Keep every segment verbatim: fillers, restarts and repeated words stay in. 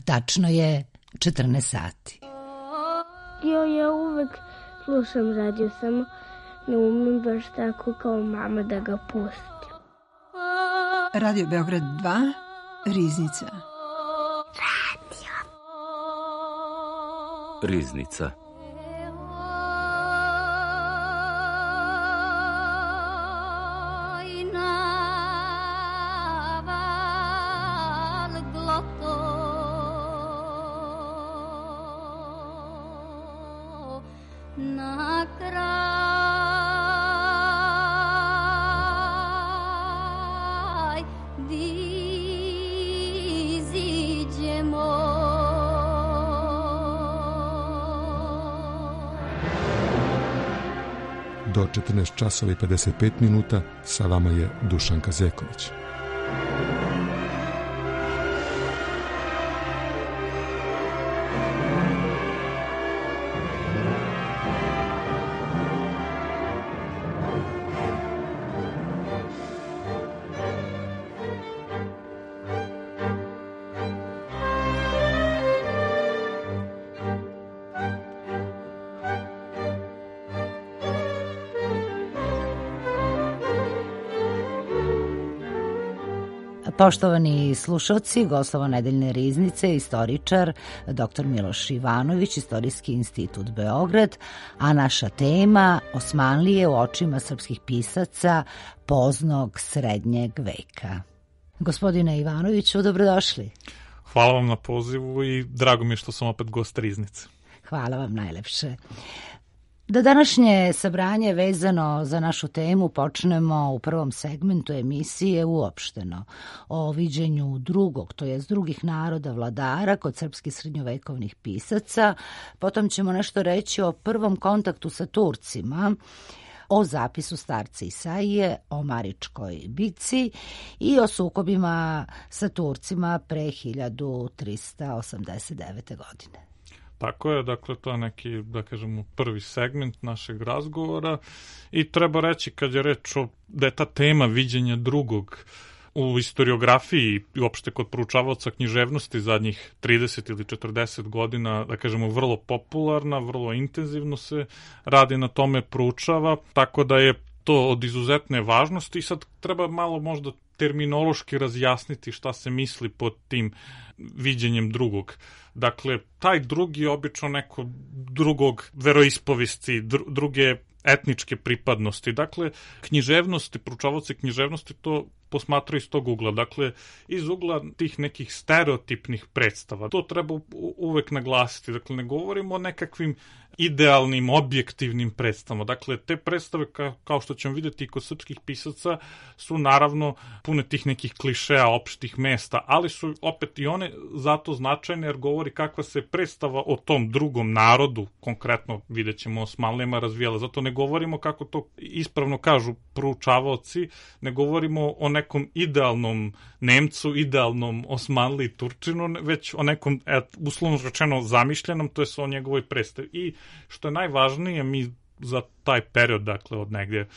Tačno je četrnaest sati. Jo, ja uvek slušam radio, samo ne umem baš tako kao mama da ga pustim. Radio Beograd dva, Riznica. Radio. Riznica. Do četrnaest časova i pedeset pet minuta sa vama je Dušan Kazeković. Poštovani slušalci, gostovo nedeljne riznice, istoričar doktor Miloš Ivanović, Istorijski institut Beograd, a naša tema Osmanlije u očima srpskih pisaca poznog srednjeg veka. Gospodine Ivanoviću, dobrodošli. Hvala vam na pozivu i drago mi je što sam opet gost riznice. Hvala vam najlepše. Da današnje sabranje vezano za našu temu počnemo u prvom segmentu emisije uopšteno o viđenju drugog, to jest drugih naroda vladara kod srpskih srednjovekovnih pisaca. Potom ćemo nešto reći o prvom kontaktu sa Turcima, o zapisu starca Isaije, o Maričkoj bici i o sukobima sa Turcima pre hiljadu trista osamdeset devete. godine. Tako je, dakle, to je neki, da kažemo, prvi segment našeg razgovora i treba reći, kad je reč o, da je ta tema viđenja drugog u historiografiji i uopšte kod proučavaoca književnosti zadnjih trideset ili četrdeset godina, da kažemo, vrlo popularna, vrlo intenzivno se radi na tome, proučava, tako da je to od izuzetne važnosti i sad treba malo možda terminološki razjasniti šta se misli pod tim viđenjem drugog. Dakle, taj drugi je obično neko drugog veroispovesti, dru, druge etničke pripadnosti. Dakle, književnosti, proučavaoci književnosti to posmatraju iz tog ugla. Dakle, iz ugla tih nekih stereotipnih predstava. To treba uvek naglasiti. Dakle, ne govorimo o nekakvim idealnim, objektivnim predstavama. Dakle, te predstave, ka, kao što ćemo vidjeti kod srpskih pisaca, su naravno pune tih nekih klišeja, opštih mesta, ali su opet i one zato značajne jer govori kakva se predstava o tom drugom narodu, konkretno vidjet ćemo Osmanlijama, razvijala. Zato ne govorimo, kako to ispravno kažu proučavaoci, ne govorimo o nekom idealnom Nemcu, idealnom Osmanliji, Turčinu, već o nekom, et, uslovno rečeno, zamišljenom, to je o njegovoj predstavi. I što je najvažnije, mi za taj period, dakle od negdje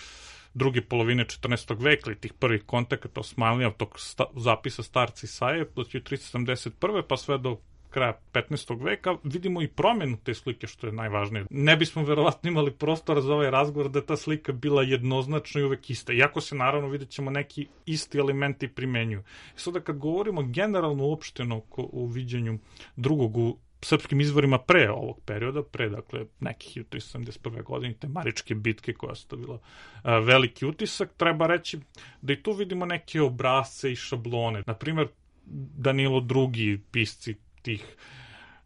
druge polovine četrnaestog veka ili tih prvih kontakata Osmanlija, tog sta, zapisa starca Isaije, od hiljadu trista sedamdeset prve pa sve do kraja petnaestog veka, vidimo i promjenu te slike, što je najvažnije. Ne bismo verovatno imali prostora za ovaj razgovor da je ta slika bila jednoznačna i uvek ista. Iako se naravno vidjet ćemo neki isti elementi primenjuju. I sada kad govorimo generalno uopšteno o viđenju drugog u srpskim izvorima pre ovog perioda, pre, dakle, nekih hiljadu trista sedamdeset prve. godine, te Maričke bitke koja je ostavila a, veliki utisak, treba reći da i tu vidimo neke obrazce i šablone. Naprimjer, Danilo drugi, pisci tih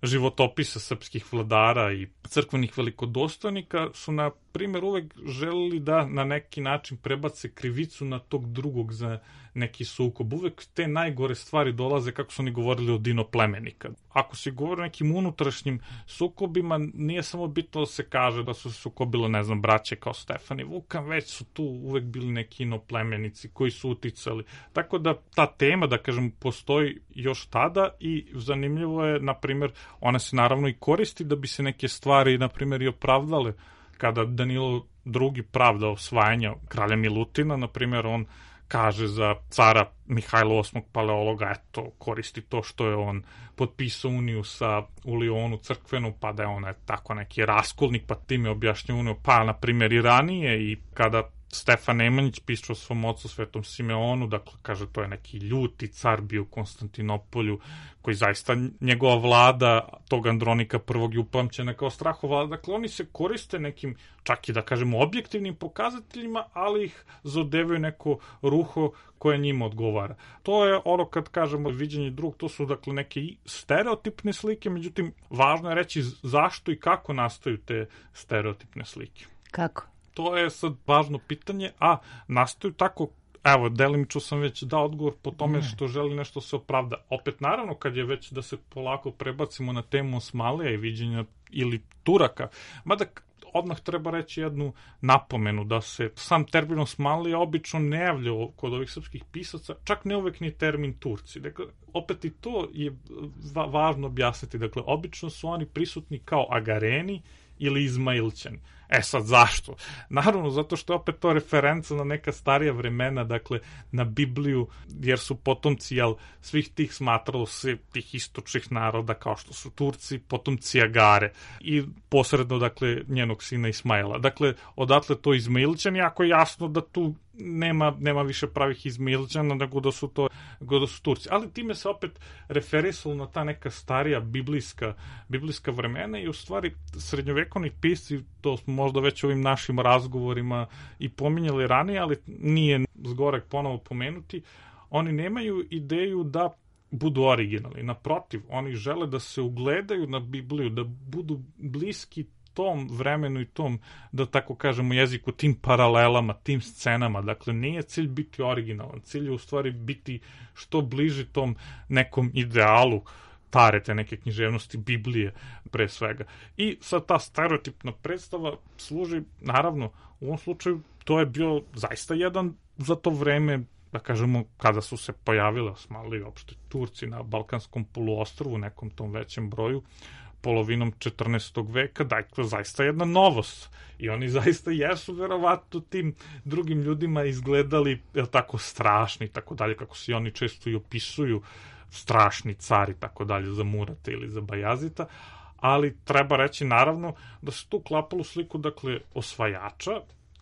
životopisa srpskih vladara i crkvenih velikodostojnika su, na primjer, uvek želeli da na neki način prebace krivicu na tog drugog za neki sukob. Uvek te najgore stvari dolaze, kako su oni govorili, od dinoplemenika. Ako se govori o nekim unutrašnjim sukobima, nije samo bitno da se kaže da su se sukobile, ne znam, braće kao Stefan i Vukan, već su tu uvek bili neki inoplemenici koji su uticali. Tako da ta tema, da kažem, postoji još tada i zanimljivo je, na primjer, ona se naravno i koristi da bi se neke stvari, na primjer, i opravdale. Kada Danilo drugi pravda osvajanja kralja Milutina, na primjer, on kaže za cara Mihajla osmog Paleologa, eto, koristi to što je on potpisao uniju sa u Lionu crkvenu, pa da je on tako neki raskolnik, pa time objašnja uniju, pa na primjer i ranije, i kada Stefan Nemanjić piše o svom ocu Svetom Simeonu, dakle, kaže, to je neki ljuti car bio u Konstantinopolju, koji zaista njegova vlada, tog Andronika prvog je upamćena kao strahovlada. Dakle, oni se koriste nekim, čak i da kažemo, objektivnim pokazateljima, ali ih zadevaju neko ruho koje njima odgovara. To je ono kad kažemo viđenje drugog, to su dakle neke stereotipne slike, međutim, važno je reći zašto i kako nastaju te stereotipne slike. Kako? To je sad važno pitanje, a nastaju tako, evo, delimično sam već dao odgovor po tome što želi nešto se opravda. Opet, naravno, kad je već da se polako prebacimo na temu Osmanlija i viđenja ili Turaka, mada odmah treba reći jednu napomenu, da se sam termin Osmanlija obično ne javlja kod ovih srpskih pisaca, čak ne uvek ni termin Turci. Dakle, opet i to je va- važno objasniti. Dakle, obično su oni prisutni kao Agareni ili Izmailćani. E sad, zašto? Naravno, zato što je opet to referenca na neka starija vremena, dakle, na Bibliju, jer su potomci, jel, svih tih smatralo se, tih istočnih naroda, kao što su Turci, potomci Agare i posredno, dakle, njenog sina Ismaila. Dakle, odatle to Izmailćani, ako je jasno da tu nema, nema više pravih Izmailćana, nego da su to, nego da su Turci. Ali time se opet referisalo na ta neka starija biblijska, biblijska vremena i u stvari srednjovekovni pisci, to smo možda već ovim našim razgovorima i pominjali ranije, ali nije zgorek ponovo pomenuti, oni nemaju ideju da budu originalni. Naprotiv, oni žele da se ugledaju na Bibliju, da budu bliski tom vremenu i tom, da tako kažemo, jeziku, tim paralelama, tim scenama. Dakle, nije cilj biti originalan, cilj je u stvari biti što bliži tom nekom idealu stare te neke književnosti Biblije pre svega. I sad ta stereotipna predstava služi, naravno, u ovom slučaju to je bio zaista jedan za to vreme, da kažemo, kada su se pojavile Osmanlije, uopšte Turci na Balkanskom poluostrvu, nekom tom većem broju, polovinom četrnaestog veka, dakle, zaista jedna novost. I oni zaista jesu verovatno tim drugim ljudima izgledali, je tako, strašni, tako dalje, kako se oni često i opisuju, strašni cari, tako dalje, za Murata ili za Bajazita, ali treba reći, naravno, da se tu klapalo sliku, dakle, osvajača.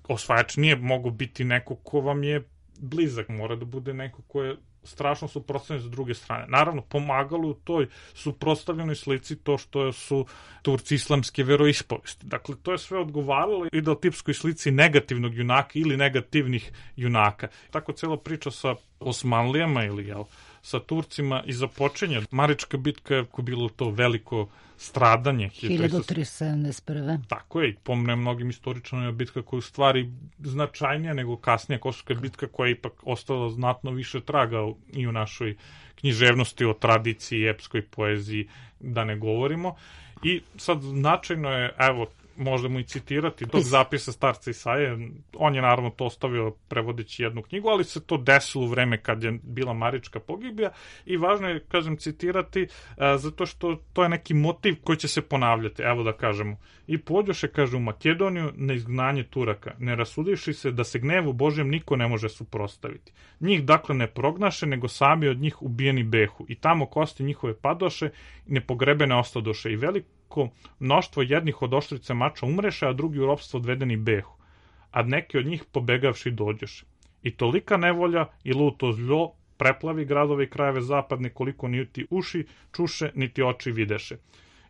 Osvajač nije mogo biti neko ko vam je blizak, mora da bude neko ko je strašno suprotstavljen s druge strane. Naravno, pomagalo u toj suprotstavljenoj slici to što su Turci islamske veroispovesti. Dakle, to je sve odgovaralo ideotipskoj slici negativnog junaka ili negativnih junaka. Tako cela priča sa Osmanlijama ili, jel, sa Turcima i započenja. Marička bitka je bilo to veliko stradanje. hiljadu tristo sedamdeset prve. Tako je, i pomne mnogim istoričanima bitka koja je u stvari značajnija nego kasnija Kosovska bitka, koja je ipak ostala znatno više traga i u našoj književnosti, o tradiciji, epskoj poeziji, da ne govorimo. I sad značajno je, evo, možemo i citirati tog zapisa starca Isaije. On je naravno to ostavio prevodeći jednu knjigu, ali se to desilo u vreme kad je bila Marička pogibija i važno je, kažem, citirati a, zato što to je neki motiv koji će se ponavljati. Evo da kažemo. I pođoše, kaže, u Makedoniju na izgnanje Turaka, ne rasudivši se da se gnevu Božjem niko ne može suprotstaviti. Njih dakle ne prognaše, nego sami od njih ubijeni behu i tamo kosti njihove padoše i nepogrebene ostadoše i veliko mnoštvo jednih od oštrice mača umreše, a drugi u ropstvo odvedeni behu, a neki od njih pobegavši dođeše. I tolika nevolja i luto zlo preplavi gradove i krajeve zapadne, koliko niti uši čuše, niti oči videše.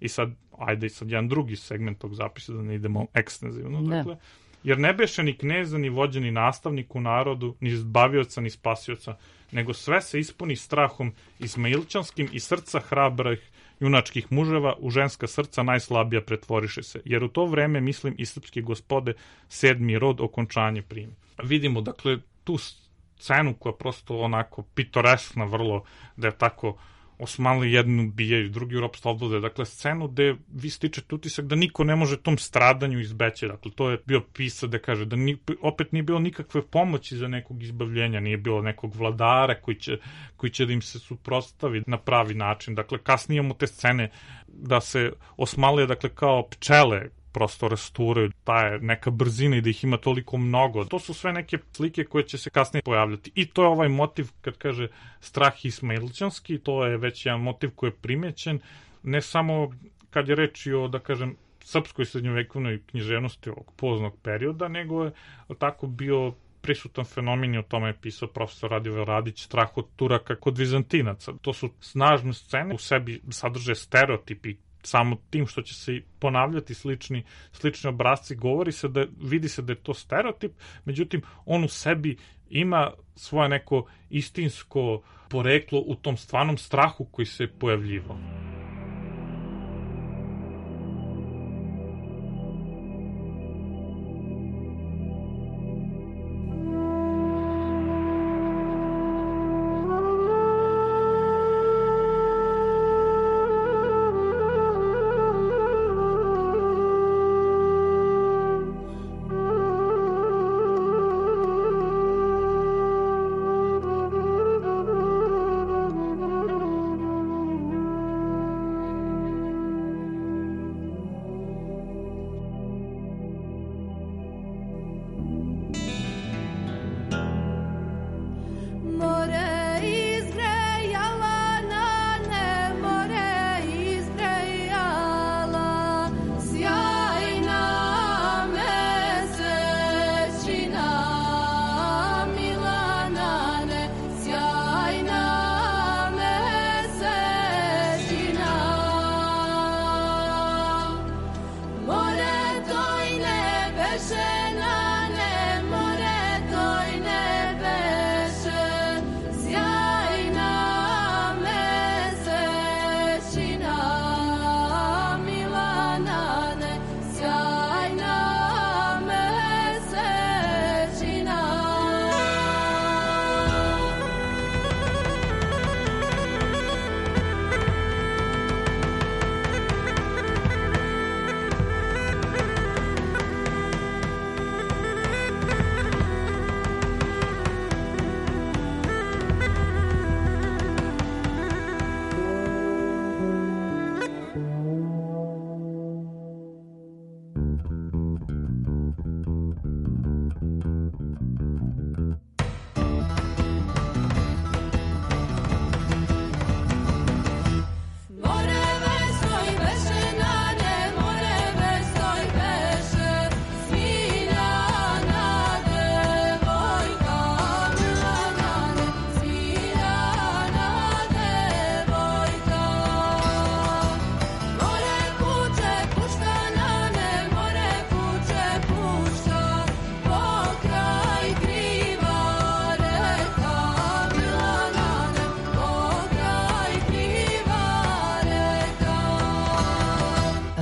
I sad, ajde i sad jedan drugi segment tog zapisa, da ne idemo ekstenzivno, ne. Dakle, jer ne beše ni kneza, ni vođa, ni nastavnik u narodu, ni zbavioca, ni spasioca, nego sve se ispuni strahom izmailčanskim i srca hrabrih junačkih muževa u ženska srca najslabija pretvoriše se, jer u to vreme, mislim, i srpske gospode sedmi rod okončanje primi. Vidimo, dakle, tu scenu koja prosto onako pitoreskna vrlo, da je tako Osmanli jednu ubijaju, drugi u ropstvo odvode. Dakle, scenu gde vi stičete utisak da niko ne može tom stradanju izbeći. Dakle, to je bio pisac da kaže da ni, opet nije bilo nikakve pomoći za nekog izbavljenja, nije bilo nekog vladara koji će, koji će da im se suprotstavi na pravi način. Dakle, kasnije imamo te scene da se Osmanlija, dakle, kao pčele prosto rasturaju, ta je neka brzina i da ih ima toliko mnogo. To su sve neke slike koje će se kasnije pojavljati. I to je ovaj motiv, kad kaže strah ismailčanski, to je već jedan motiv koji je primećen, ne samo kad je reč o, da kažem, srpskoj srednjovekovnoj književnosti ovog poznog perioda, nego je tako bio prisutan fenomen i o tome je pisao profesor Radivoje Radić, strah od Turaka kod Vizantinaca. To su snažne scene, u sebi sadrže stereotipi, samo tim što će se ponavljati slični, slični obrazci, govori se da, vidi se da je to stereotip, međutim, on u sebi ima svoje neko istinsko poreklo u tom stvarnom strahu koji se pojavljivao.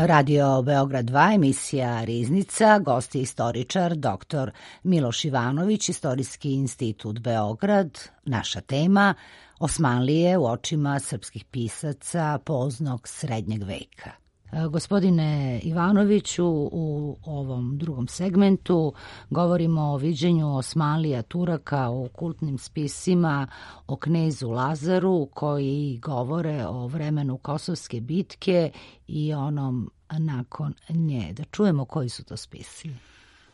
Radio Beograd dva, emisija Riznica, gost je istoričar doktor Miloš Ivanović, Istorijski institut Beograd. Naša tema Osmanlije u očima srpskih pisaca poznog srednjeg veka. Gospodine Ivanoviću, u ovom drugom segmentu govorimo o viđenju Osmanlija Turaka u kultnim spisima o knezu Lazaru koji govore o vremenu Kosovske bitke i onom nakon nje. Da čujemo koji su to spisi.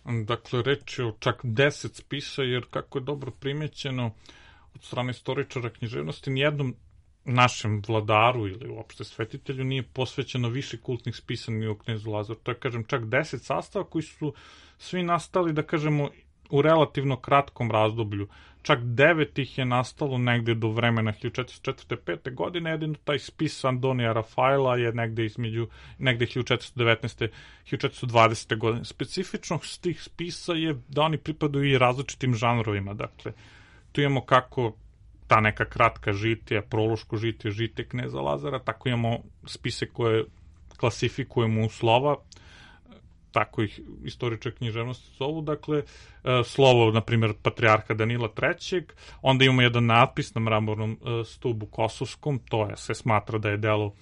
Dakle, reč je o čak deset spisa, jer kako je dobro primećeno od strane istoričara književnosti, nijednom našem vladaru ili uopšte svetitelju nije posvećeno više kultnih spisa ni o knezu Lazaru. To je, kažem, čak deset sastava koji su svi nastali, da kažemo, u relativno kratkom razdoblju. Čak devet ih je nastalo negde do vremena hiljadu četiristo četvrte pete godine, jedino taj spis Andonija Rafaela je negde između, negde hiljadu četiristo devetnaeste hiljadu četiristo dvadesete godine. Specifičnost tih spisa je da oni pripadaju i različitim žanrovima. Dakle, tu imamo kako ta neka kratka žitija, prološko žitije, žitije kneza Lazara, tako imamo spise koje klasifikujemo u slova, tako ih istoričari književnosti zovu, dakle, slovo, na primjer, patrijarha Danila trećeg, onda imamo jedan natpis na mramornom stubu kosovskom, to je, se smatra da je delo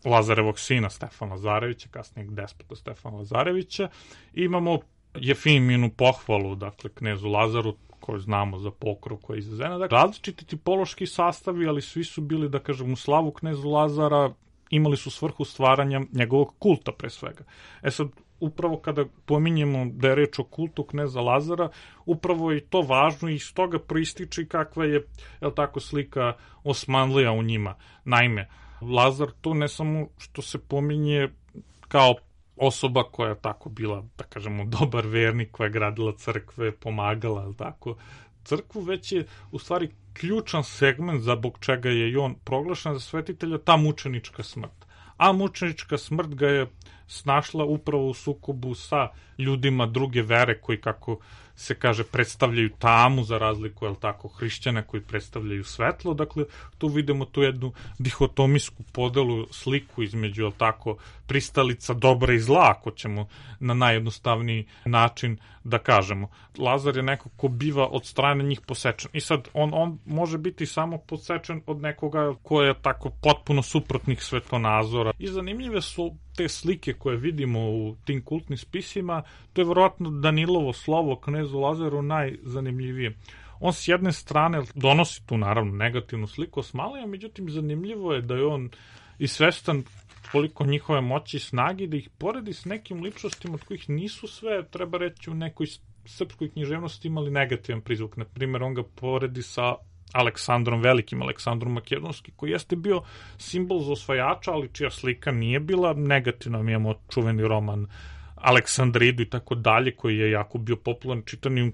Lazarevog sina Stefana Lazarevića, kasnijeg despota Stefana Lazarevića, i imamo Jefiminu pohvalu, dakle, knezu Lazaru, koju znamo za pokrov koja je izazena. Dakle, različiti tipološki sastavi, ali svi su bili, da kažem, u slavu knezu Lazara, imali su svrhu stvaranja njegovog kulta pre svega. E sad, upravo kada pominjemo da je reč o kultu kneza Lazara, upravo je to važno i iz toga proističe kakva je, je li tako, slika Osmanlija u njima. Naime, Lazar tu ne samo što se pominje kao osoba koja je tako bila, da kažemo, dobar vernik, koja je gradila crkve, pomagala, je li tako, crkvu, već je u stvari ključan segment zbog čega je i on proglašen za svetitelja, ta mučenička smrt. A mučenička smrt ga je snašla upravo u sukobu sa ljudima druge vere koji, kako se kaže, predstavljaju tamu za razliku, jel tako, hrišćana koji predstavljaju svetlo. Dakle, tu vidimo tu jednu dihotomijsku podelu, sliku između, jel tako, pristalica dobra i zla, ako ćemo na najjednostavniji način da kažemo. Lazar je neko ko biva od strane njih posečen. I sad, on, on može biti samo posečen od nekoga ko je tako potpuno suprotnih svetonazora. I zanimljive su te slike koje vidimo u tim kultnim spisima. To je verovatno Danilovo slovo knezu Lazaru najzanimljivije. On s jedne strane donosi tu naravno negativnu sliku Osmanlija, međutim zanimljivo je da je on i svestan koliko njihove moći i snagi, da ih poredi s nekim ličnostima od kojih nisu sve, treba reći, u nekoj srpskoj književnosti imali negativan prizvuk. Na primjer, on ga poredi sa Aleksandrom Velikim, Aleksandrom Makedonskim, koji jeste bio simbol za osvajača, ali čija slika nije bila negativna. Mi imamo čuveni roman Aleksandridu i tako dalje, koji je jako bio popularan čitani.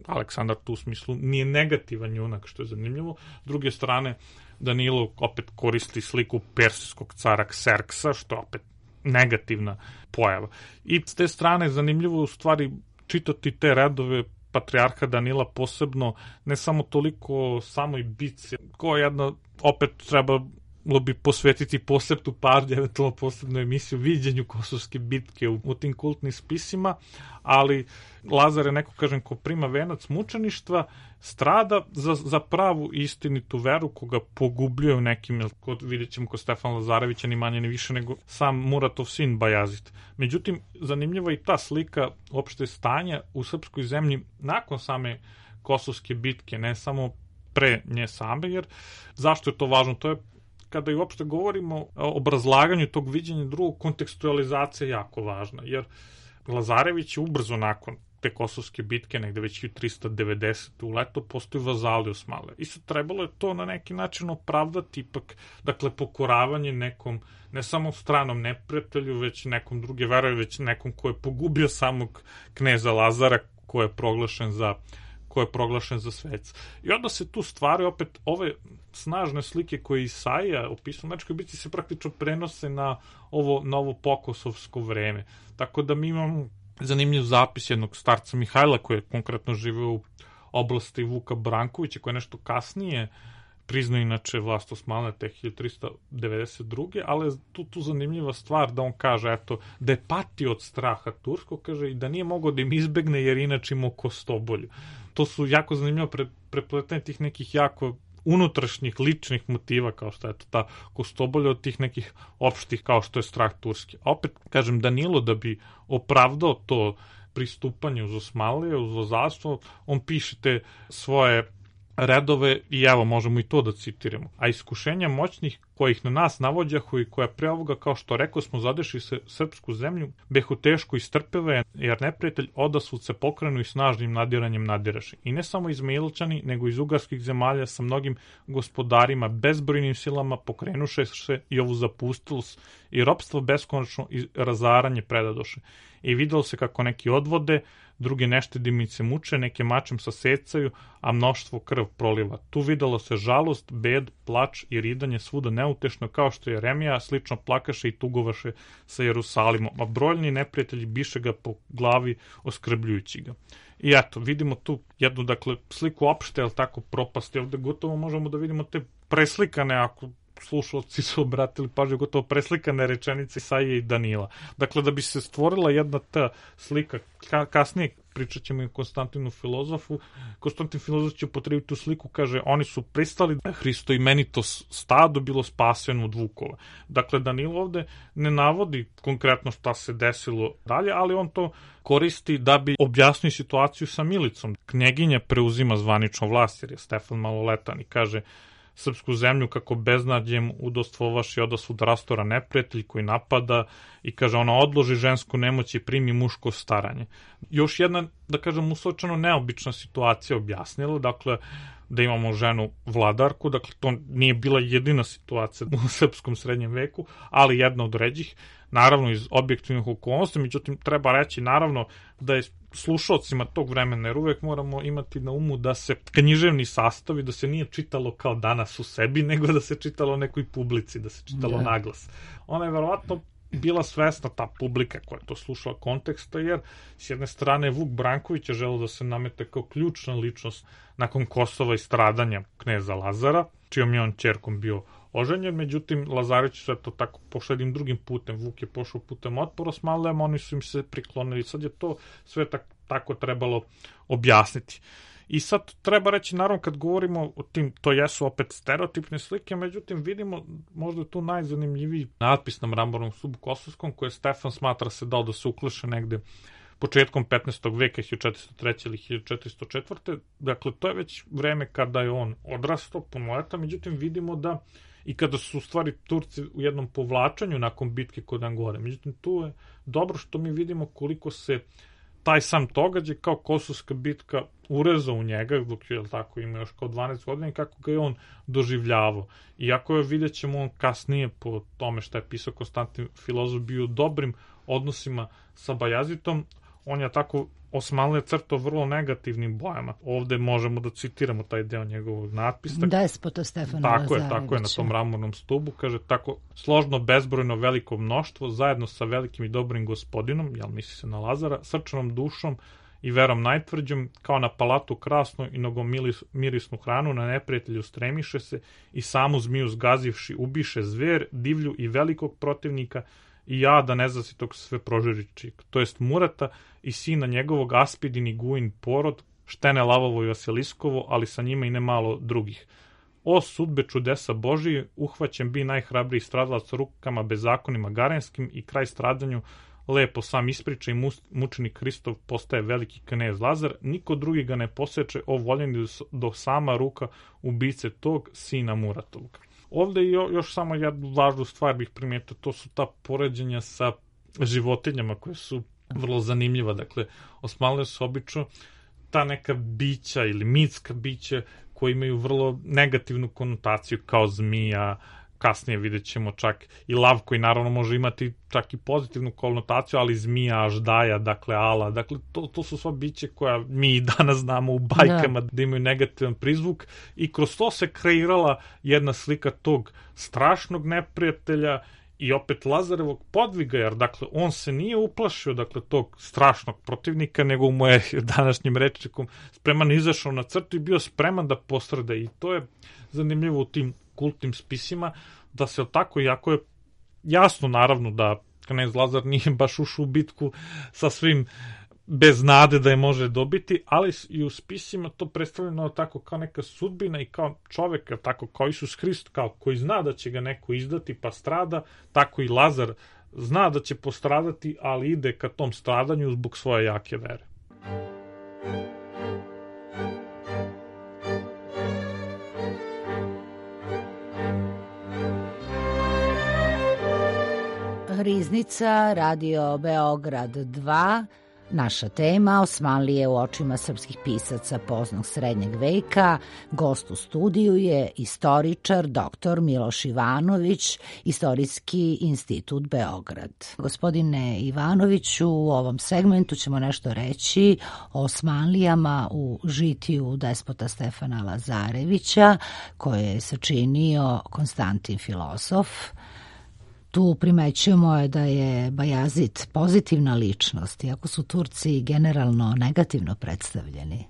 Aleksandar tu u smislu nije negativan junak, što je zanimljivo. S druge strane, Danilo opet koristi sliku persijskog cara Kserksa, što je opet negativna pojava. I s te strane zanimljivo u stvari čitati te redove patrijarha Danila, posebno ne samo toliko samoj bitci, koja jedna, opet treba bi posvetiti posebnu pažnju, eventualno posebnu emisiju viđenju Kosovske bitke u, u tim kultnim spisima, ali Lazar je neko, kažem, ko prima venac mučeništva, strada za, za pravu istinitu veru, koga pogubljuje u nekim, kod, vidjet ćemo kod Stefana Lazarevića, ni manje ni više nego sam Muratov sin Bajazid. Međutim, zanimljiva i ta slika opšte stanja u srpskoj zemlji nakon same Kosovske bitke, ne samo pre nje same, jer zašto je to važno? To je kada i uopšte govorimo o obrazlaganju tog viđenja drugog, kontekstualizacija je jako važna, jer Lazarević je ubrzo nakon te Kosovske bitke, negde već hiljadu trista devedesete u leto, postoji vazali Osmanlija. I sad trebalo je to na neki način opravdati, ipak, dakle, pokoravanje nekom, ne samo stranom neprijatelju, već nekom druge vere, već nekom ko je pogubio samog kneza Lazara, ko je proglašen za ko je proglašen za svec. I onda se tu stvari opet ove snažne slike koje Isaija opisuje u Mečkoj bitci se praktično prenose na ovo novo pokosovsko vreme. Tako da mi imamo zanimljiv zapis jednog starca Mihajla koji je konkretno živeo u oblasti Vuka Brankovića, koji je nešto kasnije priznao inače vlast Osmanlija te hiljadu trista devedeset druge. ali tu, tu zanimljiva stvar da on kaže eto, da je patio od straha turskog, kaže, i da nije mogao da im izbegne jer inače imao kostobolju. To su jako zanimljivo pre, prepletanje tih nekih jako unutrašnjih, ličnih motiva, kao što je to ta kostobolja od tih nekih opštih, kao što je strah turski. A opet, kažem, Danilo, da bi opravdao to pristupanje uz Osmanlije, uz vazalstvo, on piše te svoje redove i evo, možemo i to da citiramo. A iskušenja moćnih kojih na nas navođahu i koja pre ovoga, kao što rekao smo, zadeši se srpsku zemlju, behu teško istrpeve, jer neprijatelj odasvud se pokrenu i snažnim nadiranjem nadiraše. I ne samo iz Milčani, nego iz ugarskih zemalja sa mnogim gospodarima, bezbrojnim silama pokrenuše se i ovu zapustilost i ropstvo beskonačno i razaranje predadoše. I videlo se kako neki odvode, drugi neštedimice muče, neke mačem sasecaju, a mnoštvo krv proliva. Tu videlo se žalost, bed, plač i ridanje svuda neutešno, kao što je Remija slično plakaše i tugovaše sa Jerusalimom, a brojni neprijatelji biše ga po glavi oskrbljujući ga. I eto, vidimo tu jednu, dakle, sliku opšte, ali tako, propasti. Ovde gotovo možemo da vidimo te preslikane, ako slušalci su obratili pažnju, gotovo preslikane rečenice Isaije i Danila. Dakle, da bi se stvorila jedna ta slika, ka, kasnije pričat ćemo i o Konstantinu filozofu, Konstantin filozof će upotrebiti tu sliku, kaže, oni su pristali da Hristo imenito stado bilo spaseno od vukova. Dakle, Danilo ovde ne navodi konkretno šta se desilo dalje, ali on to koristi da bi objasnio situaciju sa Milicom. Knjeginja preuzima zvanično vlast, jer je Stefan maloletan i kaže, srpsku zemlju kako beznadjem udostvovaš i odasud rastora neprijatelj koji napada i kaže ona odloži žensku nemoć i primi muško staranje. Još jedna, da kažem, usločeno neobična situacija objasnila, dakle, da imamo ženu vladarku, dakle, to nije bila jedina situacija u srpskom srednjem veku, ali jedna od ređih, naravno iz objektivnih okolnosti, međutim, treba reći, naravno, da je slušalcima tog vremena, jer uvek moramo imati na umu da se književni sastavi, da se nije čitalo kao danas u sebi, nego da se čitalo nekoj publici, da se čitalo yeah. naglas. Ona je verovatno bila svesna, ta publika koja je to slušala konteksta, jer s jedne strane Vuk Branković je želeo da se namete kao ključna ličnost nakon Kosova i stradanja kneza Lazara, čijom je on ćerkom bio oženjen, međutim Lazarević sve to tako pošao jednim drugim putem, Vuk je pošao putem otpora s Malem, oni su im se priklonili, sad je to sve tak, tako trebalo objasniti. I sad treba reći, naravno, kad govorimo o tim, to jesu opet stereotipne slike, međutim vidimo možda tu najzanimljiviji natpis na mramornom stubu Kosovskom, koje Stefan smatra se dao da se ukleše negde početkom petnaestog veka, hiljadu četiristo treće ili hiljadu četiristo četvrte. Dakle, to je već vreme kada je on odrastao, punoletan, međutim vidimo da i kada su u stvari Turci u jednom povlačenju nakon bitke kod Angore. Međutim, tu je dobro što mi vidimo koliko se taj sam događaj kao Kosovska bitka urezao u njega, dok je tako ima još kao dvanaest godina, i kako ga je on doživljavao. Iako je, vidjet ćemo, on kasnije po tome što je pisao Konstantin filozof bio u dobrim odnosima sa Bajazitom, on je tako Osmanlije crtao vrlo negativnim bojama. Ovde možemo da citiramo taj deo njegovog natpisa. Despota Stefana Tako Lazarevića. je, tako je, na tom mramornom stubu. Kaže, tako složno, bezbrojno, veliko mnoštvo, zajedno sa velikim i dobrim gospodinom, jel misli se na Lazara, srčanom dušom i verom najtvrđom, kao na palatu krasnu i nogomirisnu hranu, na neprijatelju stremiše se i samu zmiju zgazivši ubiše zver, divlju i velikog protivnika, i ja da nezasitog sve prožiriči, to jest Murata i sina njegovog Aspidin i Guin porod, Štene Lavovo i Vasiliskovo, ali sa njima i nemalo drugih. O sudbe čudesa Božije, uhvaćen bi najhrabriji stradalac rukama bezakonima garenskim i kraj stradanju lepo sam ispriča i mučenik Hristov postaje veliki knez Lazar, niko drugi ga ne poseče, o voljeni do sama ruka ubice tog sina Muratovog. Ovde jo, još samo jednu važnu stvar bih primijetio, to su ta poređenja sa životinjama koje su vrlo zanimljiva. Dakle, Osmanlije su obično ta neka bića ili mitska bića koji imaju vrlo negativnu konotaciju kao zmija, kasnije vidjet ćemo čak i lav koji naravno može imati čak i pozitivnu konotaciju, ali zmija, aždaja, dakle ala, dakle to, to su sva biće koja mi i danas znamo u bajkama da. da imaju negativan prizvuk i kroz to se kreirala jedna slika tog strašnog neprijatelja i opet Lazarevog podviga, jer dakle on se nije uplašio dakle tog strašnog protivnika, nego mu je današnjim rečnikom spreman izašao na crtu i bio spreman da postrada, i to je zanimljivo u tim kultnim spisima, da se tako, iako je jasno naravno da knez Lazar nije baš ušao u bitku sa svim bez nade da je može dobiti, ali i u spisima to predstavljeno tako kao neka sudbina i kao čovek, tako kao Isus Hrist, kao koji zna da će ga neko izdati pa strada, tako i Lazar zna da će postradati, ali ide ka tom stradanju zbog svoje jake vere. Riznica, Radio Beograd dva, naša tema Osmanlije u očima srpskih pisaca poznog srednjeg veka. Gost u studiju je istoričar doktor Miloš Ivanović, Istorijski institut Beograd. Gospodine Ivanoviću, u ovom segmentu ćemo nešto reći o Osmanlijama u žitiju despota Stefana Lazarevića, koje je sačinio Konstantin filozof. Tu primećujemo je da je Bajazid pozitivna ličnost, iako su Turci generalno negativno predstavljeni.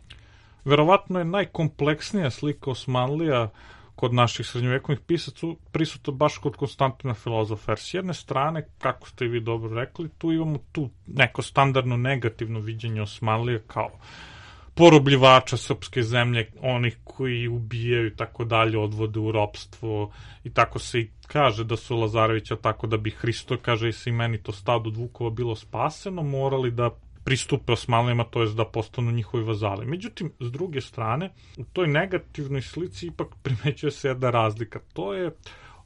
Verovatno je najkompleksnija slika Osmanlija kod naših srednjovekovnih pisaca prisutna baš kod Konstantina filozofa. Jer s jedne strane, kako ste i vi dobro rekli, tu imamo tu neko standardno negativno viđenje Osmanlija kao porobljivača srpske zemlje, onih koji ubijaju i tako dalje, odvode u ropstvo, i tako se i kaže da su Lazarevića, tako da bi Hristo, kaže i se i meni to stado od vukova bilo spaseno, morali da pristupe Osmanlijama, to je da postanu njihovi vazali. Međutim, s druge strane, u toj negativnoj slici ipak primećuje se jedna razlika. To je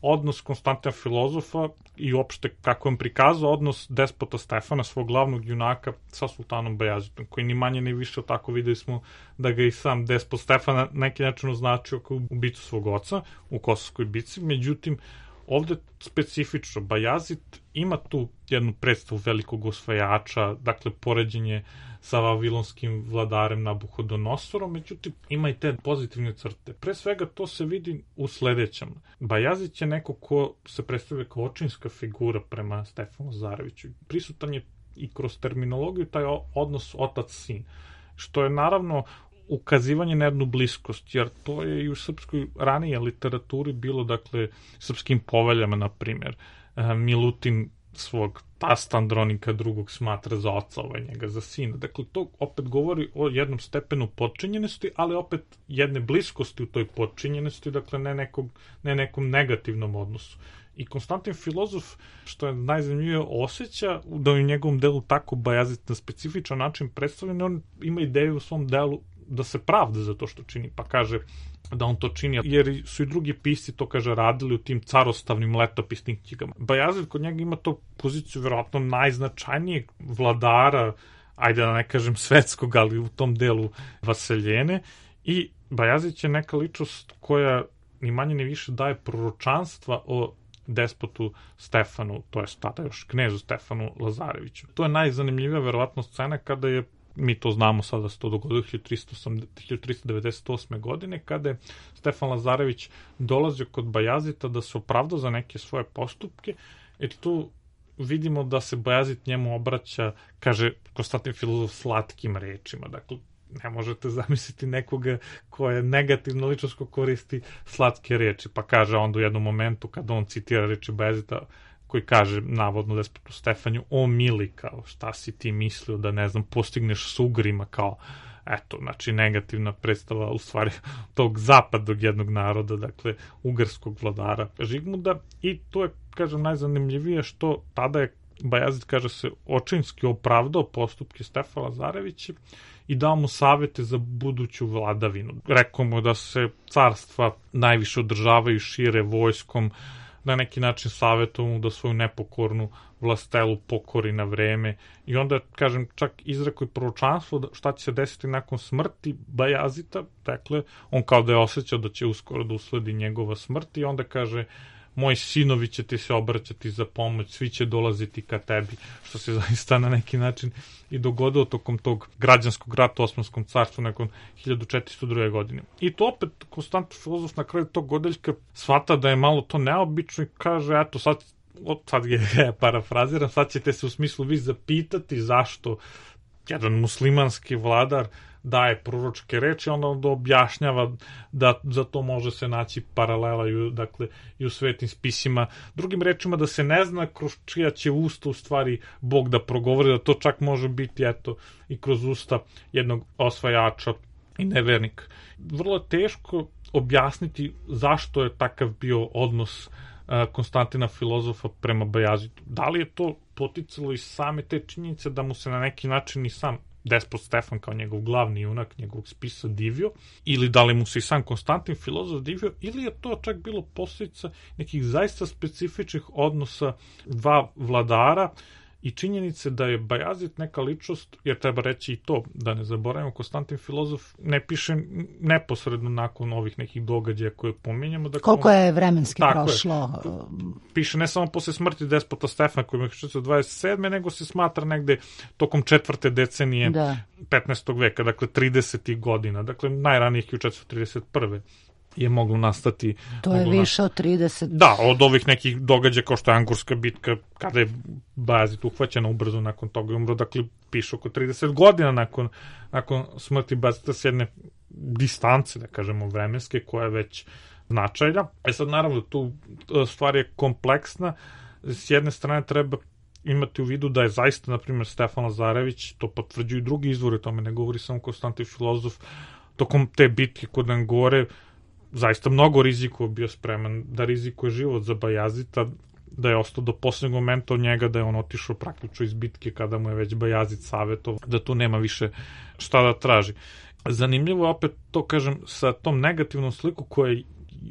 odnos Konstantina Filozofa i uopšte kako on prikazao odnos despota Stefana, svog glavnog junaka, sa sultanom Bajazitom, koji ni manje ni više tako videli smo da ga i sam despot Stefan na neki način označio kao ubicu svog oca u Kosovskoj bici. Međutim, ovde specifično, Bajazit ima tu jednu predstavu velikog osvajača, dakle poređenje sa vavilonskim vladarem Nabuhodonosorom, međutim ima i te pozitivne crte. Pre svega to se vidi u sledećem. Bajazit je neko ko se predstavlja kao očinska figura prema Stefanu Lazareviću. Prisutan je i kroz terminologiju taj odnos otac-sin, što je naravno ukazivanje na jednu bliskost, jer to je i u srpskoj ranije literaturi bilo, dakle, srpskim poveljama, na primjer. Milutin svog tasta Andronika drugog smatra za oca, ovaj njega za sina. Dakle, to opet govori o jednom stepenu podčinjenosti, ali opet jedne bliskosti u toj podčinjenosti, dakle, ne, nekog, ne nekom negativnom odnosu. I Konstantin Filozof, što je najzanimljivije, osjeća da u njegovom delu tako Bajazit na specifičan način predstavljen, on ima ideju u svom delu da se pravda za to što čini, pa kaže da on to čini, jer su i drugi pisci to, kaže, radili u tim carostavnim letopisnim knjigama. Bajazid kod njega ima to poziciju verovatno najznačajnijeg vladara, ajde da ne kažem svetskog, ali u tom delu vaseljene, i Bajazid je neka ličnost koja ni manje ni više daje proročanstva o despotu Stefanu, to je tada još knezu Stefanu Lazareviću. To je najzanimljivija verovatno scena kada je, mi to znamo sada, se to dogodilo hiljadu tristo devedeset osme. godine, kada je Stefan Lazarević dolazio kod Bajazita da se opravda za neke svoje postupke, jer tu vidimo da se Bajazit njemu obraća, kaže Konstantin Filozof, slatkim rečima. Dakle, ne možete zamisliti nekoga ko je negativno ličnost ko koristi slatke reči, pa kaže onda u jednom momentu kada on citira reči Bajazita, koji kaže navodno despotu Stefaniju, o mili, kao šta si ti mislio da, ne znam, postigneš s Ugrima, kao eto, znači negativna predstava u stvari tog zapadnog jednog naroda, dakle ugarskog vladara Žigmuda. I to je, kažem, najzanimljivije što tada je Bajazid, kaže se, očinski opravdao postupke Stefana Lazarevića i dao mu savete za buduću vladavinu. Rekao mu da se carstva najviše održavaju šire vojskom, na neki način savjetovao mu da svoju nepokornu vlastelu pokori na vreme, i onda, kažem, čak izrekao i proročanstvo da šta će se desiti nakon smrti Bajazita. Dakle, on kao da je osjećao da će uskoro da usledi njegova smrt, i onda kaže, moji sinovi će ti se obraćati za pomoć, svi će dolaziti ka tebi, što se zaista na neki način i dogodilo tokom tog građanskog rata u Osmanskom carstvu nakon hiljadu četiristo druge. godine. I to opet Konstantin Filozof na kraju tog odeljka shvata da je malo to neobično i kaže, eto, sad, sad je parafraziram, sad ćete se u smislu vi zapitati zašto jedan muslimanski vladar daje proročke reči, onda onda objašnjava da za to može se naći paralela i, dakle, i u svetim spisima. Drugim rečima, da se ne zna kroz čija će usta u stvari Bog da progovori, da to čak može biti, eto, i kroz usta jednog osvajača i nevernika. Vrlo teško objasniti zašto je takav bio odnos Konstantina Filozofa prema Bajazitu. Da li je to poticalo iz same te činjenice da mu se na neki način i sam despot Stefan kao njegov glavni junak njegovog spisa divio, ili da li mu se i sam Konstantin Filozof divio, ili je to čak bilo posljedica nekih zaista specifičnih odnosa dva vladara i činjenice da je Bajazit neka ličnost, jer treba reći i to, da ne zaboravimo, Konstantin Filozof ne piše neposredno nakon ovih nekih događaja koje pominjamo. Dakle, koliko je vremenski tako prošlo? Je. Piše ne samo posle smrti despota Stefana koji je hiljadu četiristo dvadeset sedme. nego se smatra negde tokom četvrte decenije da. petnaestog veka, dakle tridesetih godina, dakle najranijih hiljadu četiristo trideset prve. je moglo nastati. To je više od trideset. Da, od ovih nekih događaja kao što je Angurska bitka, kada je Bajazit uhvaćena ubrzo nakon toga i umro, dakle piše oko trideset godina nakon, nakon smrti Bajazita s jedne distance, da kažemo, vremenske, koja je već značajna. E sad, naravno, tu stvar je kompleksna. S jedne strane treba imati u vidu da je zaista, na primjer, Stefan Lazarević, to potvrđuju i drugi izvori, tome ne govori samo Konstantin Filozof, tokom te bitke kod Angore zaista mnogo rizikova bio spreman da rizikuje život za Bajazita, da je ostao do posljednjeg momenta od njega, da je on otišao praktično iz bitke kada mu je već Bajazid savjetovao da tu nema više šta da traži. Zanimljivo je opet to, kažem, sa tom negativnom sliku koja je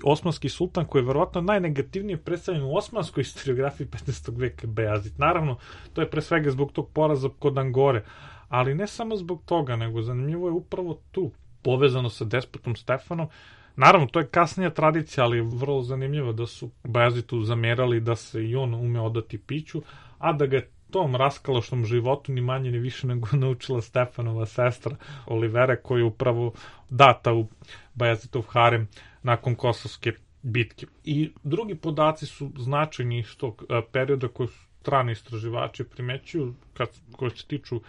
osmanski sultan, koji je verovatno najnegativnije predstavljen u osmanskoj historiografiji petnaestog veka Bajazid. Naravno, to je pre svega zbog tog poraza kod Angore, ali ne samo zbog toga, nego zanimljivo je upravo tu, povezano sa despotom Stefanom. Naravno, to je kasnija tradicija, ali je vrlo zanimljivo da su Bajazidu zamerali da se i on ume odati piću, a da ga je tom raskalašnom životu ni manje ni više nego naučila Stefanova sestra Olivera, koja je upravo data u Bajazidov harem nakon Kosovske bitke. I drugi podaci su značajni iz tog perioda koji su strani istraživači primećuju, kad, koji se tiču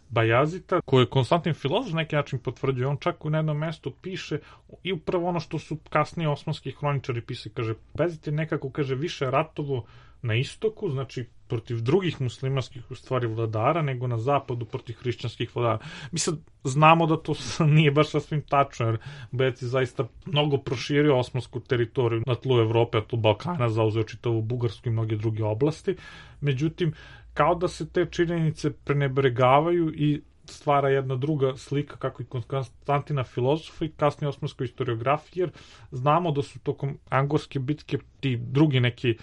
Bajazita, koje Konstantin Filozof neki način potvrđuje. On čak u jednom mestu piše i upravo ono što su kasnije osmanski hroničari pisali, kaže, Bajazid je nekako, kaže, više ratovo na istoku, znači protiv drugih muslimanskih u stvari vladara, nego na zapadu protiv hrišćanskih vladara. Mi sad znamo da to nije baš sasvim tačno, jer Bajazid je zaista mnogo proširio osmansku teritoriju na tlu Evrope, na tlu Balkana, zauzeo čitavu Bugarsku i mnoge druge oblasti. Međutim, kao da se te činjenice prenebregavaju i stvara jedna druga slika, kako i Konstantina Filozofa i kasnije osmanskoj historiografiji, jer znamo da su tokom Angorske bitke ti drugi neki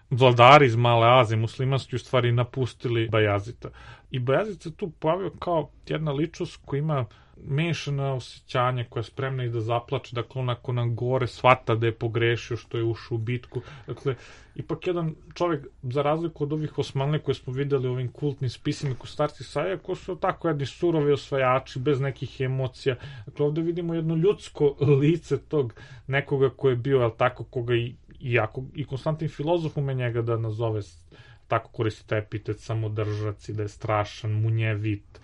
vladari iz Male Azije, muslimanski, u stvari napustili Bajazita. I Bajazid se tu pojavio kao jedna ličnost koja ima mešana osjećanja, koja je spremna i da zaplače, dakle on nakon Angore shvata da je pogrešio što je ušao u bitku. Dakle, ipak jedan čovjek, za razliku od ovih Osmanlija koje smo videli u ovim kultnim spisima kod starci Saja, koji su tako jedni surovi osvajači, bez nekih emocija. Dakle, ovde vidimo jedno ljudsko lice tog nekoga ko je bio, jel tako, koga i Iako i Konstantin Filozof ume njega da nazove, tako koristi taj epitet, samodržac i da je strašan, munjevit,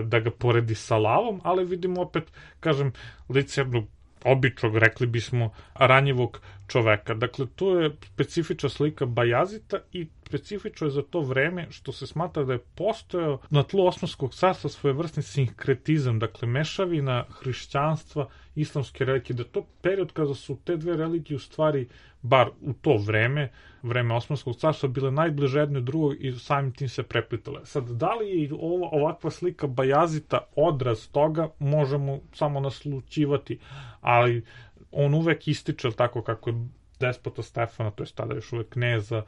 da ga poredi sa lavom, ali vidimo opet, kažem, lice jednog običnog, rekli bismo, ranjivog čoveka. Dakle, to je specifična slika Bajazita i specifično je za to vreme što se smatra da je postojao na tlu Osmanskog carstva svojevrsni sinkretizam, dakle, mešavina hrišćanstva, islamske religije, da je to period kada su te dve religije u stvari, bar u to vreme, vreme Osmanskog carstva, bile najbliže jedno drugog i samim tim se preplitale. Sad, da li je ova, ovakva slika Bajazita odraz toga, možemo samo naslućivati, ali on uvek ističe, tako kako je despota Stefana, to je tada još uvek kneza,